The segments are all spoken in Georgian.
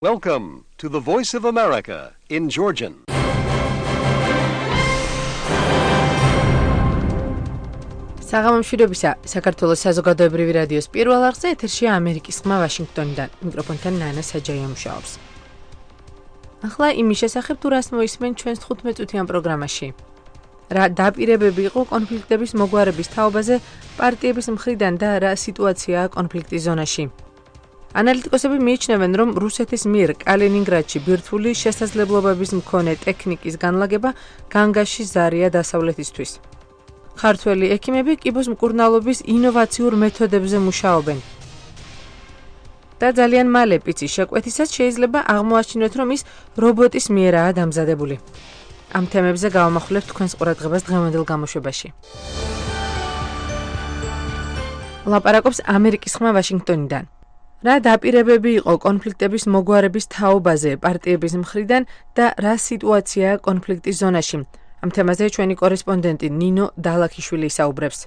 Welcome to the Voice of America in Georgian. საღამომშვიდობისა, საქართველოს საზოგადოებრივი რადიოს პირველ არხზე ეთერშია ამერიკის ხმა ვაშინგტონიდან. მიკროფონთან ნანა საჯაია მუშაობს. ახლა იმის შესახებ თუ რას მოისმენ ჩვენს 15 წუთიან პროგრამაში. რა დაპირებები იყო კონფლიქტების მოგვარების თაობაზე პარტიების მხრიდან და რა სიტუაციაა კონფლიქტის ზონაში. ანალიტიკოსები მიიჩნევენ, რომ რუსეთის მიერ კალინინგრადში ბირთვული შესაძლებლობების მქონე ტექნიკის განლაგება განგაში ზარია დასავლეთისთვის. ქართველი ექიმები კიბოს მკურნალობის ინოვაციურ მეთოდებზე მუშაობენ. და ძალიან მალე პიცის შეკვეთისას შეიძლება აღმოაჩინოთ, რომ ის რობოტის მიერაა დამზადებული. ამ თემებზე გავამახვილებთ თქვენს ყურადღებას დღევანდელ გამოშვებაში. ლაპარაკობს ამერიკის ხმა ვაშინგტონიდან. რა დაპირებები იყო კონფლიქტების მოგვარების თაობაზე პარტიების მხრიდან და რა სიტუაციაა კონფლიქტის ზონაში? ამ თემაზე ჩვენი კორესპონდენტი ნინო დალაქიშვილი ისაუბრებს.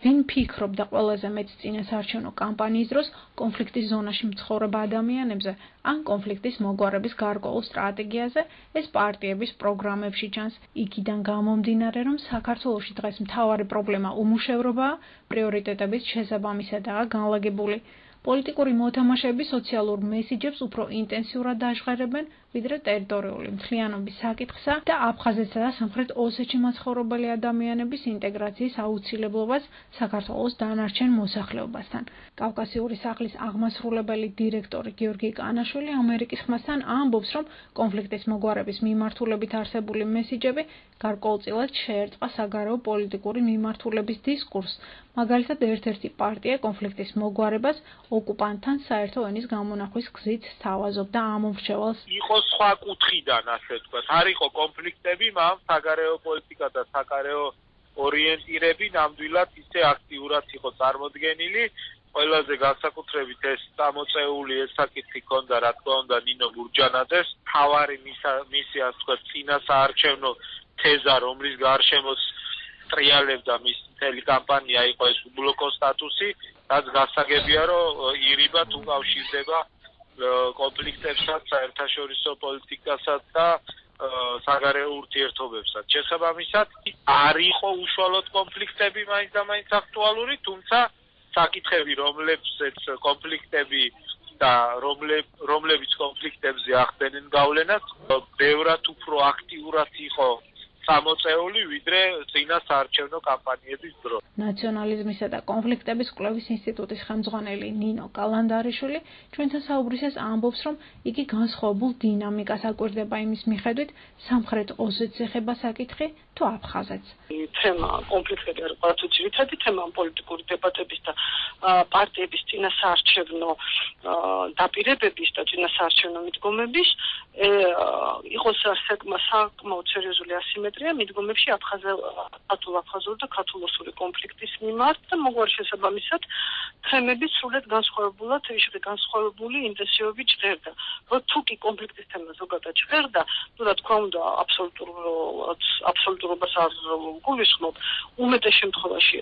ვინ ფიქრობდა ყველაზე მეტ წინასაარჩევნო კამპანიის დროს კონფლიქტის ზონაში მცხოვრებ ადამიანებზე ან კონფლიქტის მოგვარების გარკვეულ სტრატეგიაზე, ეს პარტიების პროგრამებში ჩანს. იქიდან გამომდინარე, რომ საქართველოში დღეს მთავარი პრობლემა უმუშევრობაა, პრიორიტეტების შესაბამისადაა განლაგებული. პოლიტიკური მოთამაშეები სოციალურ მესიჯებს უფრო ინტენსიურად დაჟღერებენ, ვიდრე ტერიტორიული მთლიანობის საკითხსა და აფხაზეთსა და სამხრეთ ოსეთში მაცხოვრებელი ადამიანების ინტეგრაციის აუცილებლობას საქართველოს დანარჩენ მოსახლეობასთან. კავკასიური სახლის აღმასრულებელი დირექტორი გიორგი კანაშვილი ამერიკის ხმასთან ამბობს, რომ კონფლიქტის მოგვარების მიმართულებით არსებული მესიჯები გარკვეულწილად შეერწყა საგარეო პოლიტიკური მიმართულების დისკურსს. მაგალითად, ერთ-ერთი პარტია კონფლიქტის მოგვარებას ოკუპანტთან საერთო ენის გამონახვის გზით სთავაზობდა ამომრჩევალს. იყო სხვა კუთხიდან, ასე ვთქვათ. არ იყო კონფლიქტები, მაგრამ საგარეო პოლიტიკა და საგარეო ორიენტირები ნამდვილად ისე აქტიურად იყო წარმოდგენილი. ყველაზე განსაკუთრებით ეს წამოწეული ეს საკითხი ჰქონდა, რა თქმა უნდა, ნინო გურჯანაძეს. თავარი მისი, ასე ვთქვათ, წინასაარჩევნო თეზა, რომლის გარშემოც ტრიალებდა მის მთელი კამპანია იყო ეს უბლოკო სტატუსი, რაც გასაგებია, რომ ირიბად უკავშირდება კონფლიქტებსაც, საერთაშორისო პოლიტიკასაც და საგარეო ურთიერთობებსაც. შესაბამისად, არ იყო უშუალოდ კონფლიქტები მაინც და მაინც აქტუალური, თუმცა საკითხები, რომლებზეც კონფლიქტები და რომლებიც კონფლიქტებზე ახდენენ გავლენას, ბევრად უფრო აქტიურად იყო გამოწეული, ვიდრე წინასაარჩევნო კამპანიების დროს. ნაციონალიზმისა და კონფლიქტების კვლევის ინსტიტუტის ხელმძღვანელი ნინო კალანდარიშვილი ჩვენთან საუბრისას ამბობს, რომ იგი განსხვავებულ დინამიკას აკვირდება იმის მიხედვით, სამხრეთ ოსეთს ეხება საკითხი თუ აფხაზეთს. თემა კონფლიქტები არ იყო თუ ძირითადი თემა პოლიტიკური დებატების და პარტიების წინასაარჩევნო დაპირებების და წინასაარჩევნო მიდგომების იყოს საკმაოდ სერიოზული ასიმეტრია მიდგომებში აფხაზურ და ქართულ-ოსური კონფლიქტის მიმართ და მოგვარი შესაბამისად თემები სრულად განსხვავებული ინტენსივობით ჟღერდა. თუ კი კონფლიქტის თემა ზოგადად ჟღერდა, რა თქმა უნდა, აბსოლუტურობას არ გულისხმობ, უმეტეს შემთხვევაში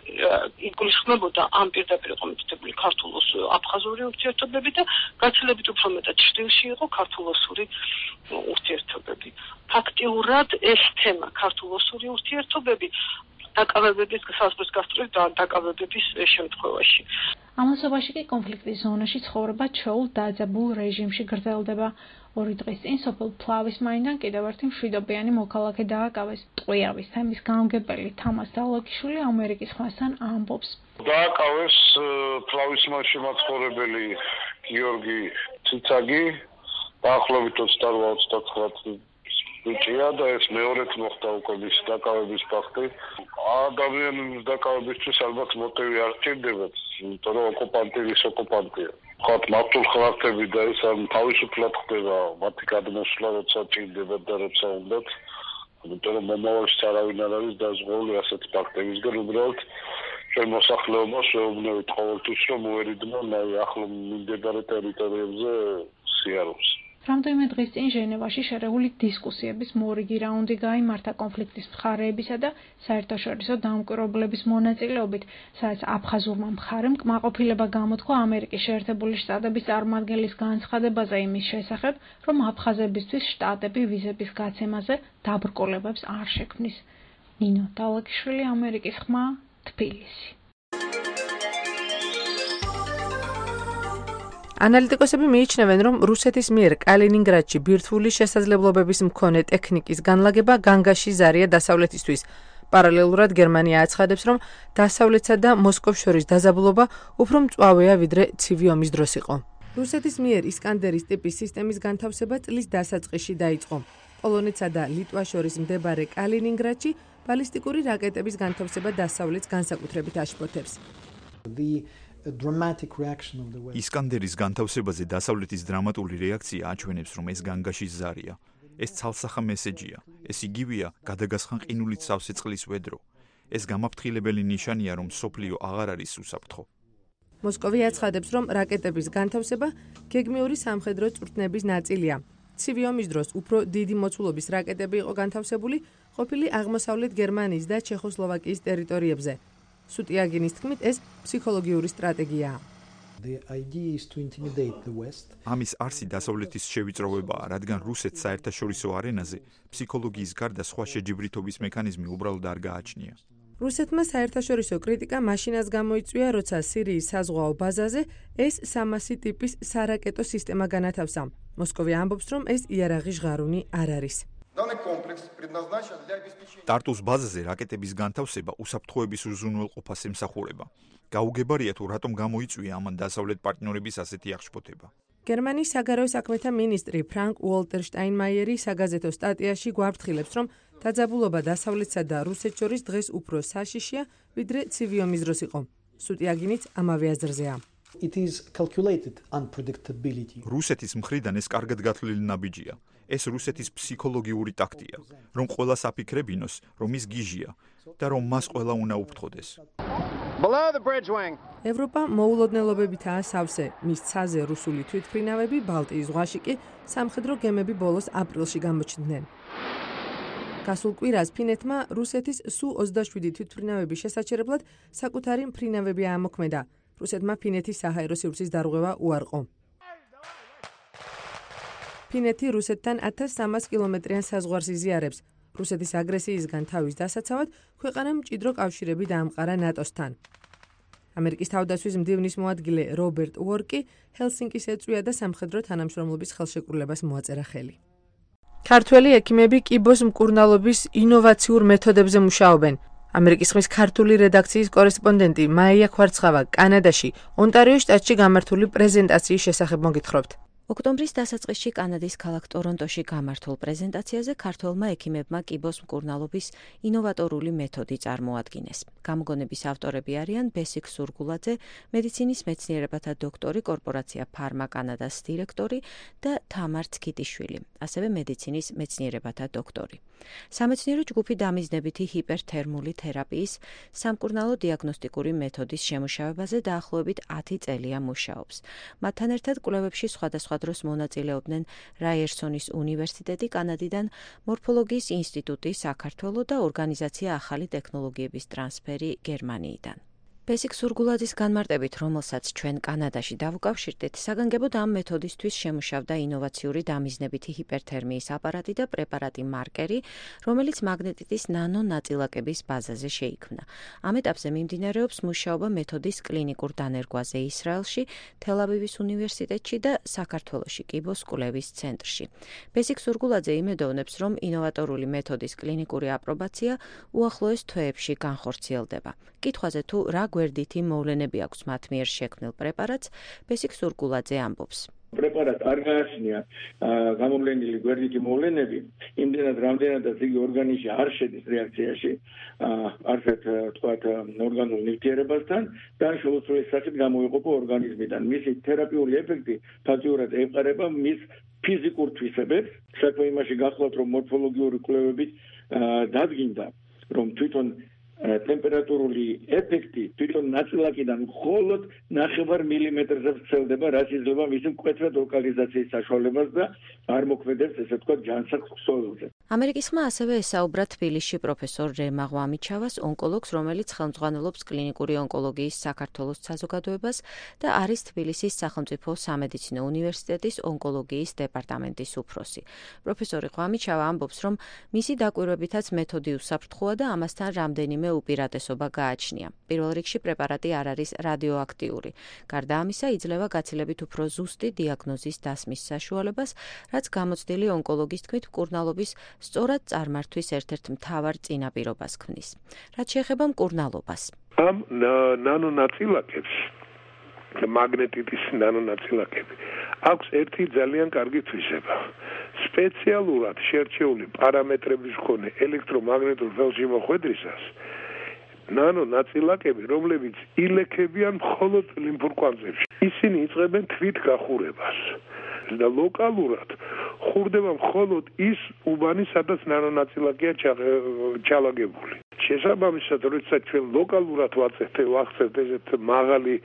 იგულისხმებოდა ამ პირდაპირ კომიტეტებული ქართულ-აფხაზური ურთიერთობები და გაცილებით უფრო მეტად ჭრილში იყო ქართულ-ოსური ურთიერთობები. ფაქტიურად ეს თემა ქართულ-ოსური ურთიერთობები დაკავებების საზღვრის გასწვრივ და დაკავებების შემთხვევაში. ამასობაში კი კონფლიქტის ზონაში ცხოვრება ჩვეულ დაძაბულ რეჟიმში გრძელდება. 2 დღის წინ სოფელ ფლავის მაინდან კიდევ ერთი მშვიდობიანი მოქალაქე დააკავეს. ტყვიავის თემის გამგებელი თამას დალაქიშვილი ამერიკის ხმასთან ამბობს. დააკავეს ფლავის მასში მაცხოვრებელი გიორგი ციცაგი, დაახლოებით 28-29 ბიჭია და ეს მეორედ მოხდა უკვე მის დაკავების ფაქტი. ადამიანის დაკავებისთვის ალბათ მოტივი არ სჭირდებათ, იმიტომ რომ ოკუპანტი ის ოკუპანტია. ხოთ მართულ ხალხები და ეს თავისუფლად ხდება მათი გადმოსვლა, როცა ჭირდება და როცა უნდათ. იმიტომ რომ მომავალში არავინ არ არის დაზღვეული ასეთ ფაქტებისგან, უბრალოდ ჩვენ მოსახლეობას შეუძლებთ ყოველთვის რომ უერიდნონ ახლო მიმდებარე ტერიტორიებზე სიარულს. რამდენიმე დღის წინ ჟენევაში შერეული დისკუსიების მორიგი რაუნდი გაიმართა კონფლიქტის მხარეებისა და საერთაშორისო დამკვირვებლების მონაწილეობით, სადაც აფხაზურმა მხარემ კმაყოფილება გამოთქვა ამერიკის შეერთებული შტატების წარმომადგენლის განცხადებაზე იმის შესახებ, რომ აფხაზებისთვის შტატები ვიზების გაცემაზე დაბრკოლებებს არ შექმნის. ნინო დალაგიშვილი, ამერიკის ხმა, თბილისი. ანალიტიკოსები მიიჩნევენ, რომ რუსეთის მიერ კალინინგრადში ბირთვული შესაძლებლობების მქონე ტექნიკის განლაგება განგაში ზარია დასავლეთისთვის. პარალელურად გერმანია აცხადებს, რომ დასავლეთსა და მოსკოვს შორის დაძაბულობა უფრო მწვავეა, ვიდრე ცივი ომის დროს იყო. რუსეთის მიერ ისკანდერის ტიპის სისტემის განთავსება წლის დასაწყისში დაიწყო. პოლონეთსა და ლიტვას შორის მდებარე კალინინგრადში ბალისტიკური რაკეტების განთავსება დასავლეთს განსაკუთრებით აშფოთებს. ისკანდერის განთავსებაზე დასავლეთის დრამატული რეაქცია აჩვენებს, რომ ეს განგაში ზარია. ეს ცალსახა მესეჯია. ეს იგივეა გადაგასხან ყინულით სავსე წყლის ვედრო. ეს გამაფრთხილებელი ნიშანია, რომ სოფლიო აღარ არის უსაფრთხო. მოსკოვი აცხადებს, რომ რაკეტების განთავსება გეგმიური სამხედრო წვრთნების ნაწილია. ცივი ომის დროს უფრო დიდი მოცულობის რაკეტები იყო განთავსებული ყოფილი აღმოსავლეთ გერმანიის და ჩეხოსლოვაკიის ტერიტორიებზე. სუტიაგინის თქმით, ეს ფსიქოლოგიური სტრატეგიაა. ამის არსი დასავლეთის შევიწროვებაა, რადგან რუსეთს საერთაშორისო არენაზე ფსიქოლოგიის გარდა სხვა შეჯიბრითობის მექანიზმი უბრალოდ არ გააჩნია. რუსეთმა საერთაშორისო კრიტიკა მაშინაც გამოიწვია, როცა სირიის საზღვაო ბაზაზე ეს 300 ტიპის სარაკეტო სისტემა განათავსა. მოსკოვი ამბობს, რომ ეს იარაღი ჟღარუნი არ არის. ტარტუს ბაზაზე რაკეტების განთავსება უსაფრთხოების უზრუნველყოფას ემსახურება. გაუგებარია თუ რატომ გამოიწვია ამან დასავლეთ პარტნიორების ასეთი აღშფოთება. გერმანიის საგარეო საქმეთა მინისტრი ფრანკ უოლტერ შტაინმაიერი საგაზეთო სტატიაში გვაფრთხილებს, რომ დაძაბულობა დასავლეთსა და რუსეთს შორის დღეს უფრო საშიშია, ვიდრე ცივი ომის დროს იყო. სუტიაგინიც ამავე აზრზეა. რუსეთის მხრიდან ეს კარგად გათვლილი ნაბიჯია. ეს რუსეთის ფსიქოლოგიური ტაქტია, რომ ყველას აფიქრებინოს, რომ ის გიჟია და რომ მას ყველა უნდა უფრთხოდეს. ევროპა მოულოდნელობებითაა სავსე. მის ცაზე რუსული თვითმფრინავები ბალტიის ზღვაში კი სამხედრო გემები ბოლოს აპრილში გამოჩნდნენ. გასულ კვირას ფინეთმა რუსეთის სუ-27 თვითმფრინავების შესაჩერებლად საკუთარი მფრინავები აამოქმედა. რუსეთმა ფინეთის საჰაერო სივრცის დარღვევა უარყო. ფინეთი რუსეთთან 1300 კილომეტრიან საზღვარს იზიარებს. რუსეთის აგრესიისგან თავის დასაცავად ქვეყანამ მჭიდრო კავშირები დაამყარა ნატოსთან. ამერიკის თავდაცვის მდივნის მოადგილე რობერტ უორკი ჰელსინკის ეწვია და სამხედრო თანამშრომლობის ხელშეკრულებას მოაწერა ხელი. ქართველი ექიმები კიბოს მკურნალობის ინოვაციურ მეთოდებზე მუშაობენ. ამერიკის ხმის ქართული რედაქციის კორესპონდენტი მაია ხვარცხავა კანადაში, ონტარიოს შტატში გამართული პრეზენტაციის შესახებ მოგითხრობთ. ოქტომბრის დასაწყისში კანადის ქალაქ ტორონტოში გამართულ პრეზენტაციაზე ქართველმა ექიმებმა კიბოს მკურნალობის ინოვატორული მეთოდი წარმოადგინეს. გამოგონების ავტორები არიან ბესიკ სურგულაძე, მედიცინის მეცნიერებათა დოქტორი, კორპორაცია ფარმა კანადას დირექტორი და თამარ ცქიტიშვილი, ასევე მედიცინის მეცნიერებათა დოქტორი. სამეცნიერო ჯგუფი დამიზნებითი ჰიპერთერმული თერაპიის სამკურნალო დიაგნოსტიკური მეთოდის შემუშავებაზე დაახლოებით 10 წელია მუშაობს. მათთან ერთად კვლევებში სხვადასხვა დროს მონაწილეობდნენ რაიერსონის უნივერსიტეტი კანადიდან, მორფოლოგიის ინსტიტუტი საქართველო და ორგანიზაცია ახალი ტექნოლოგიების ტრანსფერი გერმანიიდან. ბესიკ სურგულაძის განმარტებით, რომელსაც ჩვენ კანადაში დავუკავშირდით, საგანგებოდ ამ მეთოდისთვის შემუშავდა ინოვაციური დამიზნებითი ჰიპერთერმიის აპარატი და პრეპარატი მარკერი, რომელიც მაგნეტიტის ნანო ნაწილაკების ბაზაზე შეიქმნა. ამ ეტაპზე მიმდინარეობს მუშაობა მეთოდის კლინიკურ დანერგვაზე ისრაელში, თელ-ავივის უნივერსიტეტში და საქართველოში კიბოს კვლევის ცენტრში. ბესიკ სურგულაძე იმედოვნებს, რომ ინოვატორული მეთოდის კლინიკური აპრობაცია უახლოეს თვეებში განხორციელდება. კითხვაზე თუ რა გვერდითი მოვლენები აქვს მათ მიერ შექმნილ პრეპარატს, ბესიკ სურგულაძე ამბობს. პრეპარატ არ გააჩნია გამოვლენილი გვერდითი მოვლენები, იმდენად რამდენადაც იგი ორგანიზმში არ შედის რეაქციაში, არცერთ თქვათ ორგანულ ნივთიერებასთან და შეუცვლელი სახით გამოიყოფა ორგანიზმიდან. მისი თერაპიული ეფექტი ფაქტიურად ეყარება მის ფიზიკურ თვისებებს. საქმე იმაში გახლავთ, რომ მორფოლოგიური კვლევებით დადგინდა, რომ თვითონ ტემპერატურული ეფექტი თვითონ ნაწილაკიდან მხოლოდ 0.5 მილიმეტრზე ვრცელდება, რაც იძლევა მისი მკვეთრად ლოკალიზაციის საშუალებას და არ მოქმედებს, ესე ვთქვათ, ჯანსაღ ქსოვილზე. ამერიკის ხმა ასევე ესაუბრა თბილისში პროფესორ რემა ღვამიჩავას, ონკოლოგს, რომელიც ხელმძღვანელობს კლინიკური ონკოლოგიის საქართველოს საზოგადოებას და არის თბილისის სახელმწიფო სამედიცინო უნივერსიტეტის ონკოლოგიის დეპარტამენტის უფროსი. პროფესორი ღვამიჩავა ამბობს, რომ მისი დაკვირვებითაც მეთოდი უსაფრთხოა და ამასთან რამდენიმე უპირატესობა გააჩნია. პირველ რიგში პრეპარატი არ არის რადიოაქტიური. გარდა ამისა, იძლევა გაცილებით უფრო ზუსტი დიაგნოზის დასმის საშუალებას, რაც გამოცდილი ონკოლოგის თქმით მკურნალობის სწორად წარმართვის ერთ-ერთ მთავარ წინაპირობას ქმნის. რაც შეეხება მკურნალობას. ამ ნანონაწილაკებს, მაგნეტიტის ნანონაწილაკები, აქვს ერთი ძალიან კარგი თვისება. სპეციალურად შერჩეული პარამეტრების მქონე ელექტრომაგნიტურ ველში მოხვედრისას ნანონაწილაკები, რომლებიც ილექებიან მხოლოდ ლიმფურ კვანძებში, ისინი იწყებენ თვით გახურებას და ლოკალურად ხურდება მხოლოდ ის უბანი, სადაც ნანონაწილაკია ჩალაგებული. შესაბამისად, როდესაც ჩვენ ლოკალურად ვახცევთ ესეთ მაღალი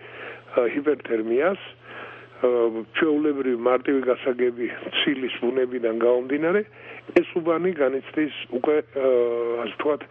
ჰიპერთერმიას, ჩვეულებრივი მარტივი გასაგები ცილის ბუნებიდან გამომდინარე, ეს უბანი განიცდის უკვე, ასე ვთქვათ,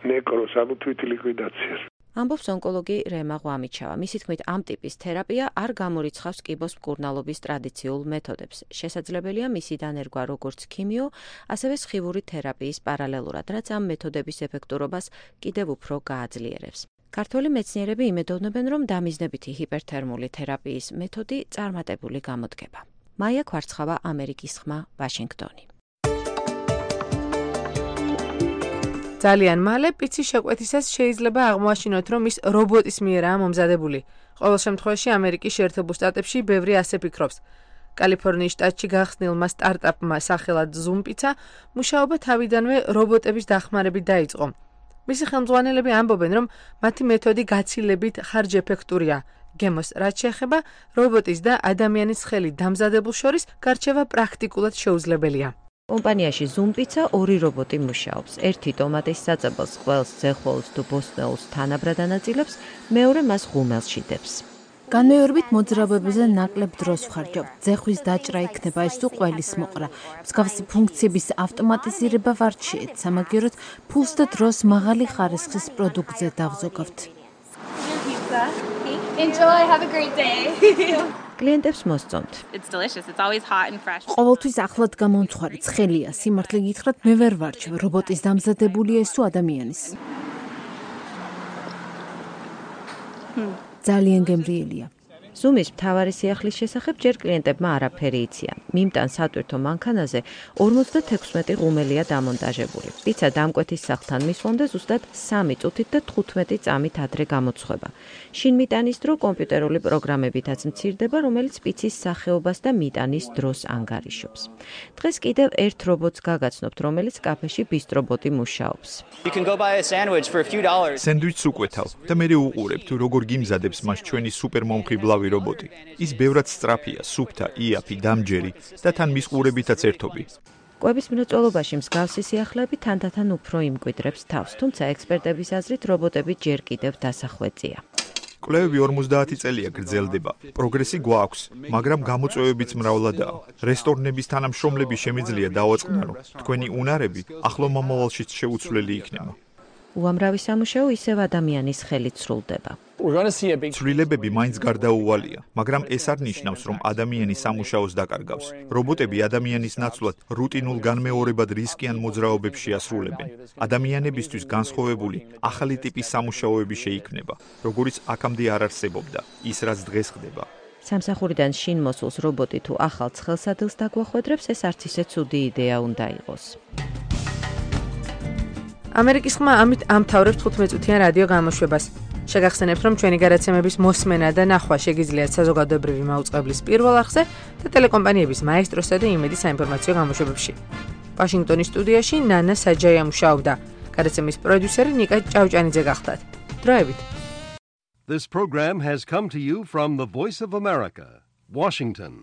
ნეკროს, ანუ თვით ლიკვიდაციას. ამბობს ონკოლოგი რემა ღვამიჩავა. მისი თქმით, ამ ტიპის თერაპია არ გამორიცხავს კიბოს მკურნალობის ტრადიციულ მეთოდებს. შესაძლებელია მისი დანერგვა როგორც ქიმიო, ასევე სხივური თერაპიის პარალელურად, რაც ამ მეთოდების ეფექტურობას კიდევ უფრო გააძლიერებს. ქართველი მეცნიერები იმედოვნებენ, რომ დამიზნებითი ჰიპერთერმული თერაპიის მეთოდი წარმატებული გამოდგება. მაია ქვარცხავა, ამერიკის ხმა, ვაშინგტონი. ძალიან მალე პიცის შეკვეთისას შეიძლება აღმოაჩინოთ, რომ ის რობოტის მიერაა მომზადებული. ყოველ შემთხვევაში ამერიკის შეერთებულ შტატებში ბევრი ასე ფიქრობს. კალიფორნიის შტატში გახსნილმა სტარტაპმა სახელად Zoom Pizza მუშაობა თავიდანვე რობოტების დახმარებით დაიწყო. მისი ხელმძღვანელები ამბობენ, რომ მათი მეთოდი გაცილებით ხარჯეფექტურია. გემოს რაც შეეხება რობოტის და ადამიანის ხელით დამზადებულ შორის გარჩევა პრაქტიკულად შეუძლებელია. კომპანიაში Zoom Pizza ორი რობოტი მუშაობს. ერთი ტომატის საწებელს, ყველს, ძეხოლს თუ ბოსტნეულს თანაბრად ანაწილებს, მეორე მას ღუმელს შიდებს. განმეორებით მოძრაობებზე ნაკლებ დროს ვხარჯავ. ძეხვის დაჭრა იქნება ეს თუ ყველის მოყრა. მსგავსი ფუნქციების ავტომატიზირება ვართ შეეცა, სამაგიეროდ ფულს და დროს მაღალი ხარისხის პროდუქტზე დავზოგავთ. Enjoy, have a great day. კლიენტებს მოსწონთ. It's delicious. It's always hot and fresh. ყოველთვის ახლად გამომცხვარი ცხელია. სიმართლე გითხრათ, მე ვერ ვარჩევ. რობოტის დამზადებულია ეს თუ ადამიანის. ძალიან გემრიელია. Zoom-ის მთავარი სიახლის შესახებ ჯერ კლიენტებმა არაფერი იციან. მიმტან სატვირთო მანქანაზე 56 ღუმელია დამონტაჟებული. პიცა დამკვეთის სახლთან მისვლამდე ზუსტად 3 წუთით და 15 წამით ადრე გამოცხება. შინ მიტანის დრო კომპიუტერული პროგრამებითაც მცირდება, რომელიც პიცის სახეობას და მიტანის დროს ანგარიშობს. დღეს კიდევ ერთ რობოტს გაგაცნობთ, რომელიც კაფეში ბისტრობოტი მუშაობს. სენდვიჩს უკვეთავ და მე უყურებ თუ როგორ გიმზადებს მას ჩვენი სუპერმომხიბლავი რობოტი. ის ბევრად სწრაფია, სუფთა, იაფი, დამჯერი და თან მის ყურებითაც ერთობი. კვების მრეწველობაში მსგავსი სიახლეები თანდათან უფრო იმკვიდრებს თავს, თუმცა ექსპერტების აზრით რობოტები ჯერ კიდევ დასახვეწია. კვლევები 50 წელია გრძელდება. პროგრესი გვაქვს, მაგრამ გამოწვევებიც მრავლადაა. რესტორნების თანამშრომლები შემიძლია დავაწყნარო. თქვენი უნარები ახლო მომავალშიც შეუცვლელი იქნება. უამრავი სამუშაო ისევ ადამიანის ხელით სრულდება. ცვლილებები მაინც გარდაუვალია, მაგრამ ეს არ ნიშნავს, რომ ადამიანი სამუშაოს დაკარგავს. რობოტები ადამიანის ნაცვლად რუტინულ განმეორებად რისკიან მოძრაობებს შეასრულებენ. ადამიანებისთვის განსხვავებული ახალი ტიპის სამუშაოები შეიქმნება, როგორიც აქამდე არ არსებობდა, ის რაც დღეს ხდება. სამსახურიდან შინ მოსულს რობოტი თუ ახალ ცხელსადილს დაგვახვედრებს, ეს არც ისე ცუდი იდეა უნდა იყოს. ამერიკის ხმა ამით ამთავრებს 15 წუთიან რადიო გამოშვებას. შეგახსენებთ, რომ ჩვენი გადაცემების მოსმენა და ნახვა შეგიძლიათ საზოგადოებრივი მაუწყებლის პირველ არხზე და ტელეკომპანიების მაესტროსა და იმედის საინფორმაციო გამოშვებებში. ვაშინგტონის სტუდიაში ნანა საჯაია მუშაობდა. გადაცემის პროდიუსერი ნიკა ჭავჭანიძე გახლდათ. დროებით. This program has come to you from the Voice of America, Washington.